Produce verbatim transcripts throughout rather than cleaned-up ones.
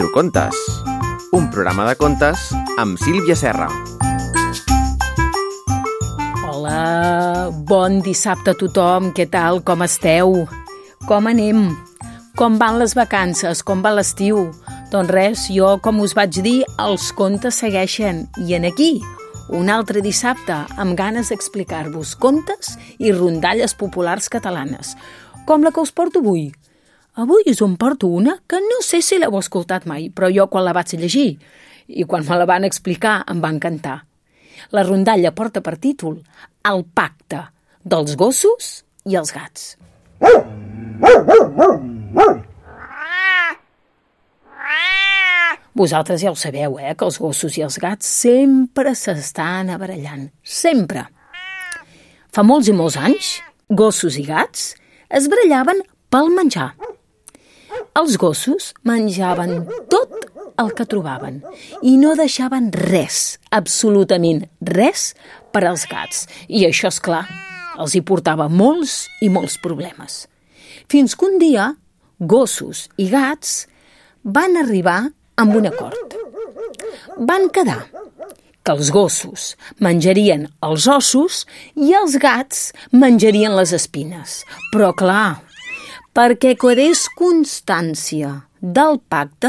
Microcontes, un programa de contes amb Sílvia Serra. Hola, bon dissabte a tothom, què tal, com esteu? Com anem? Com van les vacances? Com va l'estiu? Doncs res, jo, com us vaig dir, els contes segueixen. I en aquí, un altre dissabte, amb ganes d'explicar-vos contes i rondalles populars catalanes, com la que us porto avui. Avui us en porto una que no sé si l'heu escoltat mai, però jo quan la vaig llegir i quan me la van explicar em va encantar. La rondalla porta per títol El pacte dels gossos i els gats. Vosaltres ja ho sabeu, eh, que els gossos i els gats sempre s'estan barallant. Sempre. Fa molts i molts anys, gossos i gats es barallaven pel menjar. Els gossos menjaven tot el que trobaven i no deixaven res, absolutament res, per als gats. I això, és clar, els hi portava molts i molts problemes. Fins que un dia, gossos i gats van arribar amb un acord. Van quedar que els gossos menjarien els ossos i els gats menjarien les espines. Però, clar, perquè quedés constància del pacte,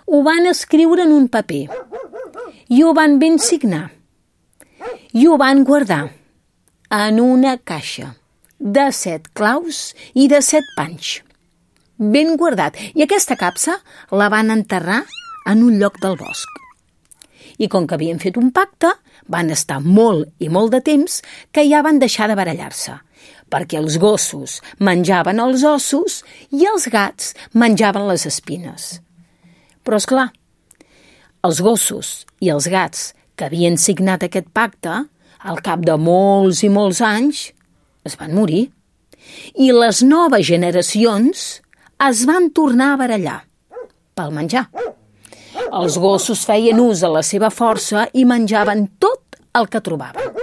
ho van escriure en un paper i ho van ben signar i ho van guardar en una caixa de set claus i de set panys. Ben guardat. I aquesta capsa la van enterrar en un lloc del bosc. I com que havien fet un pacte, van estar molt i molt de temps que ja van deixar de barallar-se, perquè els gossos menjaven els ossos i els gats menjaven les espines. Però, és clar, els gossos i els gats que havien signat aquest pacte, al cap de molts i molts anys, es van morir. I les noves generacions es van tornar a barallar pel menjar. Els gossos feien ús de la seva força i menjaven tot el que trobaven,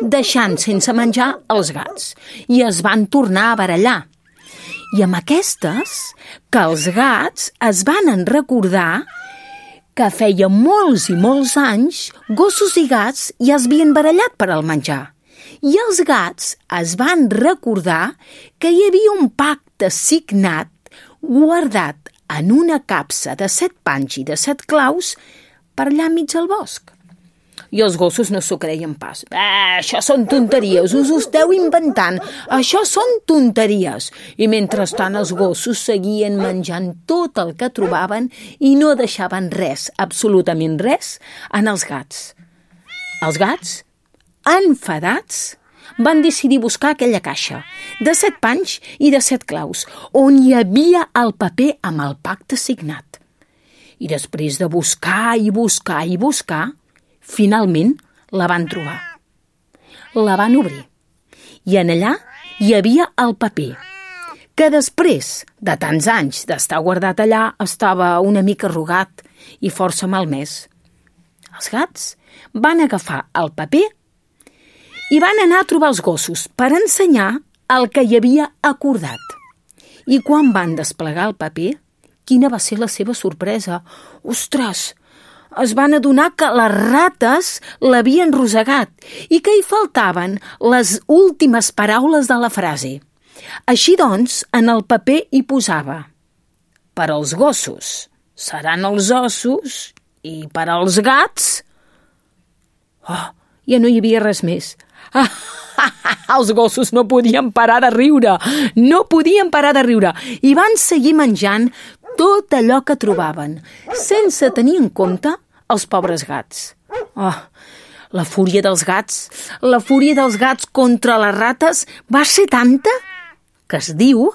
deixant sense menjar els gats, i es van tornar a barallar. I amb aquestes, que els gats es van recordar que feia molts i molts anys gossos i gats ja es havien barallat per al menjar. I els gats es van recordar que hi havia un pacte signat, guardat en una capsa de set panys i de set claus per allà enmig del bosc. I els gossos no s'ho creien pas. Eh, això són tonteries, us ho esteu inventant. Això són tonteries. I mentrestant els gossos seguien menjant tot el que trobaven i no deixaven res, absolutament res, en els gats. Els gats, enfadats, van decidir buscar aquella caixa de set panys i de set claus, on hi havia el paper amb el pacte signat. I després de buscar i buscar i buscar, finalment la van trobar. La van obrir. I en allà hi havia el paper, que després de tants anys d'estar guardat allà estava una mica arrugat i força malmès. Els gats van agafar el paper i van anar a trobar els gossos per ensenyar el que hi havia acordat. I quan van desplegar el paper, quina va ser la seva sorpresa? Ostres! Es van adonar que les rates l'havien rosegat i que hi faltaven les últimes paraules de la frase. Així doncs, en el paper hi posava: per als gossos seran els ossos i per als gats... Oh, ja no hi havia res més. Ah, ah, ah, els gossos no podien parar de riure, no podien parar de riure, i van seguir menjant tot allò que trobaven, sense tenir en compte els pobres gats. Oh, la fúria dels gats, la fúria dels gats contra les rates va ser tanta que es diu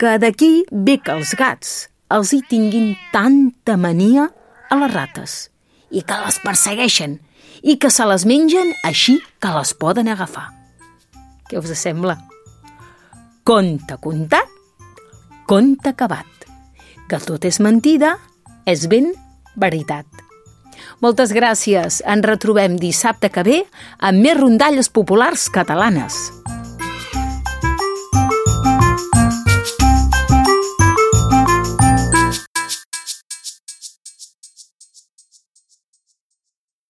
que d'aquí ve que els gats els hi tinguin tanta mania a les rates i que les persegueixen i que se les mengen així que les poden agafar. Què us sembla? Conte contat, conte acabat. Que tot és mentida, és ben veritat. Moltes gràcies. Ens retrobem dissabte que ve amb més rondalles populars catalanes.